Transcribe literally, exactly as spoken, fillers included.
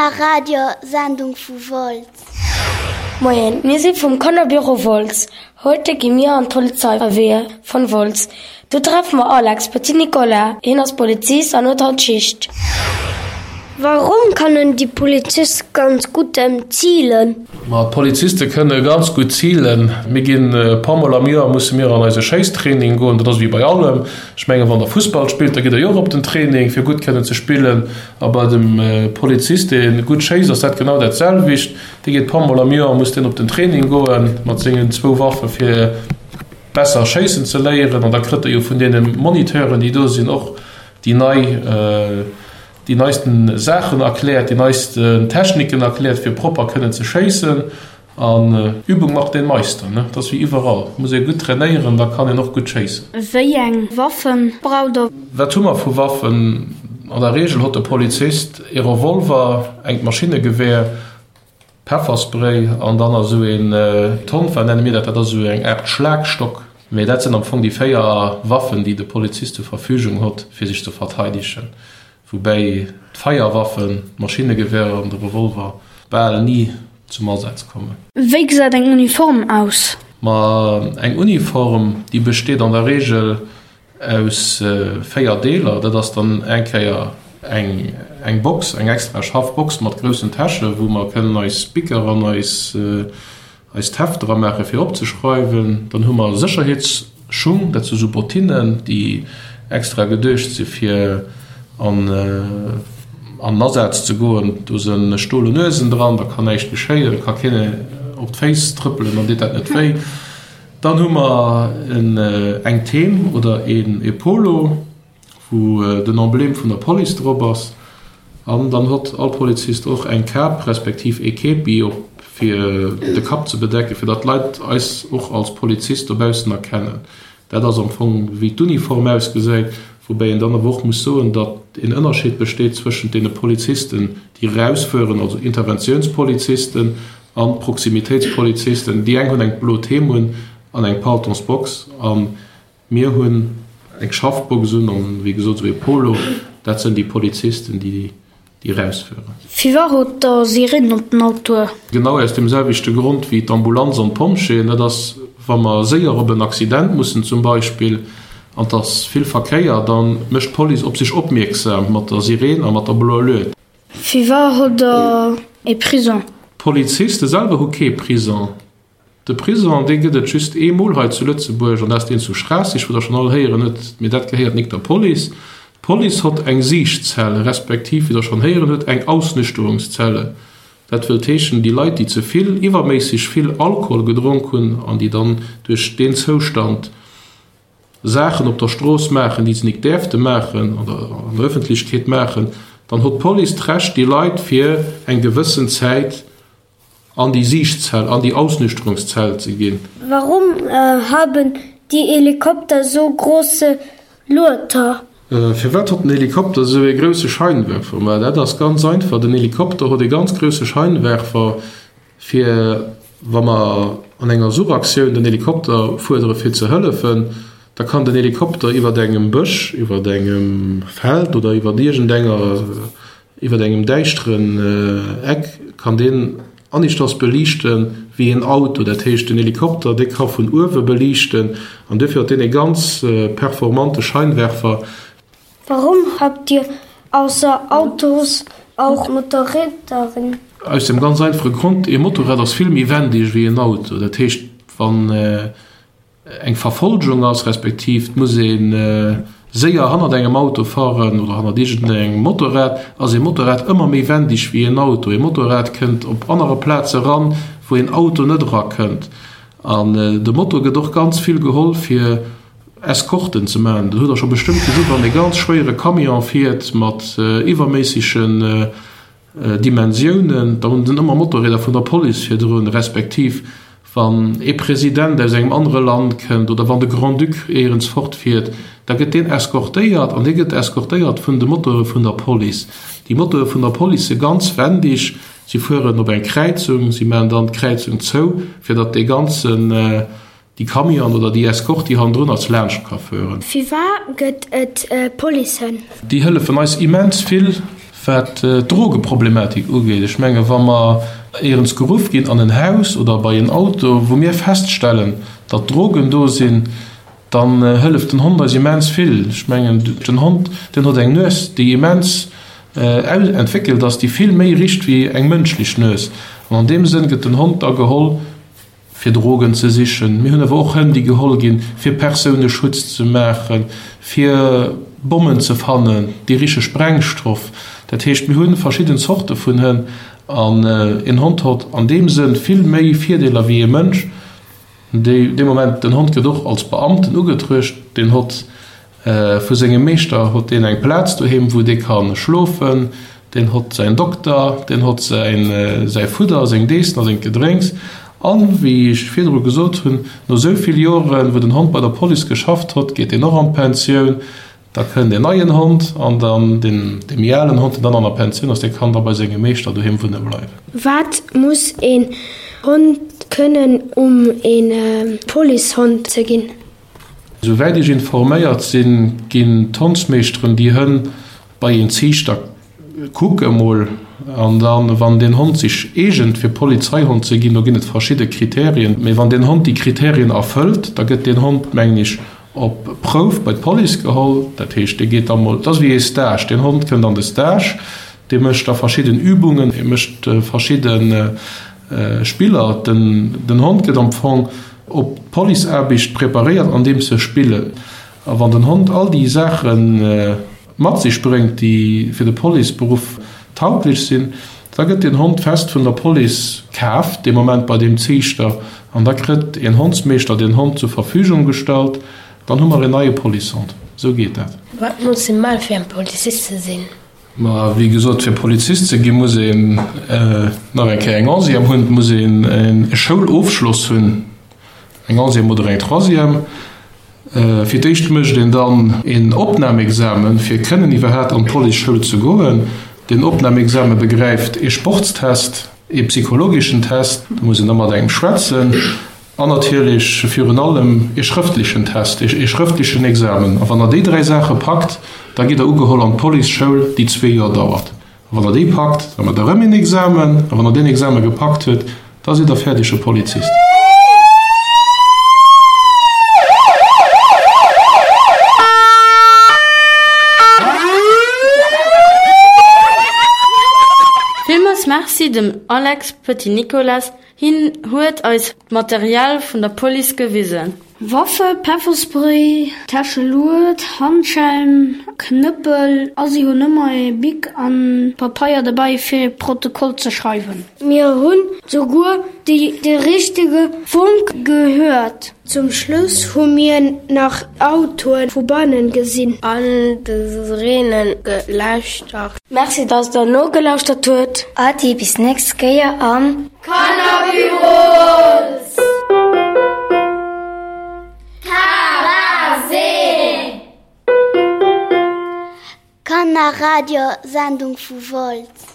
Kannerradiosendung vu Wolz. Moien, mir si vum Kannerbüro Wolz. Heute gi mir an d'Polizeirevier vun Wolz. Do treffe mer Alex Petit Nicolas. Hien ass Polizist an huet haut Schicht. Warum können die Polizisten ganz gut zielen? Ma d'Poliziste kënne ganz gutt zilen. Mir ginn e puer Mol am Joer musse mir an eise Schéisstraining goen. Dat ass wéi bei allem. Ech mengen, wann der Fussball spillt, da gitt der jo och op den Training, fir gutt kënnen ze spillen. A bei dem Polizist, dee gutt schéisst, ass dat genau dat selwecht. Dee geet e puer Mol am Joer muss deen op den Training goen mat sengen zwou Waffe fir besser schéissen ze léieren. An da kritt e jo vun deene Moniteuren, déi do sinn, och déi nei déi neisten Saachen erkläert, déi neisten Techniken erkläert, fir propper kënnen ze schéissen. An Übung macht den Meister, ne? Dat ass wéi iwwerall, muss ee gutt trainéieren, da kann een och gutt schéissen. Wéi eng Waffen braucht der? Wat hu mer vu Waffen? An der Reegel hott de Polizist ee Revolver, engt Maschinnegewehr, Pefferspray an dann esou een Tonfa nenne mir dat, dat ass esou eng Aart Schlagstock. Mee dat sinn am Fong déi véier Waffen, déi de Polizist zur Verfügung hott, fir sech ze verteidegen. Woubäi d'Feierwaffen, d'Maschinnegewehr an de Revolver bal ni zum Asaz kommen. Wéi gesäit eng Uniform aus? Ma eng Uniform, déi besteet an der Reegel aus véier Deeler. Dat ass dann eng Kéier eng eng Box, eng extra scharf Box mat groussen Täsche wou mer kënnen eis Bicker an eis eist Heft dra maache fir opzeschreiwen. Dann hu mer Sécherheetsschung, dat si sou Bottinen, déi extra geduecht si fir an an Asaz ze goen. Do se stole Nuesen dran, da kann näischt geschéien, da ka keen op d'Féiss trëppelen, dann deet dat net wéi. Dann hu mer eng Theme oder een e Polo, wou den Emblème vun der Police drop ass. An dann hott all Polizist och eng Kap respektiv ee Képi op fir de Kapp ze bedecken, fir datt d'Leit eis och als Polizist dobaussen erkennen. Dat ass am Fong wéi d'Uniform ausgesäit, woubäi een dann awer och muss soen, datt een Ënnerscheed besteet zwëschent deene Polizisten, déi erausfueren, also Interventiounspolizisten an Proximitéitspolizisten. Déi eng hunn eng blo Theme un an eng Paltonsbox a mir hunn eng Schaffbox un an, wéi gesot, esou ee Polo. Dat sënn déi Polizisten, déi déi erausfueren. Firwat hutt der Sirenen op den Autoe? Genau aus deem selwechte Grond wéi d'Ambulanz an d'Pompjeeën. Dat ass, wa mer séier op en Accident mussen zum Beispill an et ass vill Verkéier, da mécht d'Police op sech opmierksam mat der Sireen a mat der bloer Lued. Firwat hutt der ee Prison? D'Poliziste selwer hu kee Prison. De Prison, dee gëtt et just eemol hei zu Lëtzebuerg, an dat ass deen zu Schraasseg, wou Der schonn all héieren hutt, mee dat gehéiert nik der Police. D'Police hott eng Siichtzelle, respektiv, wéi Der schonn héieren hutt, eng Ausnüchterungszelle. Dat wëllt heeschen, déi Leit, déi ze vill, iwwerméisseg vill Alkohol gedronk hunn an déi dann duerch deen Zoustand Saachen op der Strooss maachen, déi se nik däerfte maachen oder an der Öffentlechkeet maachen, dann hott d'Police d'Recht, déi Leit fir eng gewëssen Zäit An déi Siichtzell, an déi Ausnüchterungszell ze ginn. Warum haben die Helikopter so große Lueder? Firwat hott den Helikopter esou ee grousse Scheinwerfer? Ma dat ass ganz einfach, den Helikopter hott ee ganz grousse Scheinwerfer, fir wa mer an enger Suchaktioun den Helikopter fuerdere fir ze hëllefen, da kann den Helikopter iwwert engem Bësch, iwwert engem Feld oder iwwert iergendenger Iwwer engem däischteren Eck kann deen aneschters beliichte wéi een Auto. Dat heescht, den Helikopter, dee ka vun uewe beliichten an duerfir huet deen e ganz performante Scheinwerfer. Warum habt ihr ausser Autos auch Motorräder? Aus dem ganz einfache Grond, ee Motorrad ass vill méi wendeg wéi en Auto. Dat heescht, wann eng Verfolgung ass, respektiv et muss ee séier hannert engem Auto fahren oder hannert iergendengem Motorrad, ass ee Motorrad ëmmer méi wendig wéi een Auto. Ee Motorrad kënnt op anere Plaze ran, wou een Auto net erakënnt. An de Moto gëtt och ganz vill geholl fir Escorten ze maachen. Dat hutt Der scho bestëmmt gesinn, wann ee ganz schwéiere Camion fiert mat iwwerméissegen Dimensiounen, da hunn ëmmer Motorrieder vun der Police virdrun, respektiv wann ee President aus engem anere Land kënnt oder wann de Grand-Duc éierens fortfiert, da gëtt deen escortéiert an dee gëtt escortéiert vun de Motoре vun der Police. Déi Motoe vun der Police si ganz wendig, si fueren op eng Kräizung, si maachen dann d'Kräizung zou, fir datt dee ganzen, déi Camion oder déi Escorte, déi hannendrun ass, laanscht ka fueren. Firwat gëtt et Policen? Déi hëllefen eis immens vill, wat d'Drogeproblematik ugeet. Ech menge wa mer éierens geruff ginn an en Haus oder bei en Auto, wou mir feststellen, datt Drogen do sinn, dann hëlleft den Hond eis immens vill. Ech mengen den Hond, deen huet eng Nues, déi immens entwéckelt ass, déi vill méi richt wéi eng mënschlech Nues. An an deem Sënn gëtt den Hond da geholl, fir Drogen ze sichen. Mir hunn awer och Hënn, déi geholl ginn, fir Persouneschutz ze maachen, fir Bommen ze fannen, déi riche Sprengstoff. Dat heescht, mir hu verschidden Zorte vun Hënn an een Hond hott an deem Sënn vill méi Virdeeler wéi ee Mënsch. Dee Moment, den Hond gëtt och als Beamten ugetruecht, deen hott vu sengem Meeschter hott deen eng Plaz doheem, wou dee ka schlofen, deen hott säin Dokter, deen hott säin säi Fudder, seng Deessen a sengt Gedrénks. An, wéi ech virdru gesot hunn, no esou vill Joren, wou den Hond bei der Police geschafft hott, geet deen och an d'Pensioun. Da kënnt een neien Hond an dann deen dee méi alen Hond, deen dann an der Pensioun ass, dee kann da bei sengem Meeschter doheem wunne bleiwen. Wat muss een Hond kënnen, um een Policehond ze ginn? Souwäit ech informéiert sinn, ginn d'Hondsmeeschteren déi Hënn bei een Ziichter kucke mol an dann, wann deen Hond sech eegent fir Polizeihond ze ginn, do ginn et verschidde Kriterien, mee wann deen Hond déi Kriterien erfëllt, da gëtt deen Hond, mengen ech, op Prouf bei d'Police geholl. Dat heescht, dee geet da mol, dat ass wéi ee Stage, deen Hond kënnt an de Stage, dee mécht da verschidden Übungen, e mécht verschidde Spiller. Den Hond gëtt am Fong op d'Policeaarbecht preparéiert, andeems se spillen. A wann den Hond all déi Saache mat sech bréngt, déi fir de Policeberuff tauglech sinn, da gëtt deen Hond fest vun der Police kaaft, dee Moment bei deem Ziichter, an da kritt een Hondsmeeschter deen Hond zur Verfügung gestallt. Dann hu mer een neie Policehond. Esou geet dat. Wat muss ee maachen, fir en Polizist ze sinn? Ma wéi gesot, fir Polizist ze ginn, muss een nach eng Kéier eng Onzième hunn, et muss een e Schoulofschloss hunn, eng Onzième oder eng Troisième. Fir d'éischt mécht een dann een Opnamexamen, fir kënnen iwwerhaapt an d'Policeschoul ze goen. Deen Opnamexame begräift ee Sportstest, ee psychologeschen Test, do muss een da mat engem schwätzen, an natierlech virun allem ee schrëftlechen Test, ee schrëftlechen Examen. A wann Der déi dräi Saache packt, da gitt Der ugeholl an d'Policeschoul, déi zwee Joer dauert. A wann Der déi packt, da maacht Der erëm een Examen. A wann Der deen Exame gepackt hutt, da sidd Der fäerdege Polizist. Villmools Merci dem Alex Petit-Nicolas, hien huet eis d'Material vun der Police gewisen. Waffe, Pefferspray, Täschelued, Handschellen, Knëppel a si hunn ëmmer e Bic an Papeier dobäi fir e Protokoll ze schreiwen. Mir hunn souguer de richtege Funk gehéiert. Zum Schluss hu mir nach Autoe vu bannen gesinn. An de Sireene gelauschtert. Merci dass der nogelauschtert huet. Adi bis nächst Kéier am Kannerbüro Wolz! Tabasin! Kannerradiosendung vu Wolz.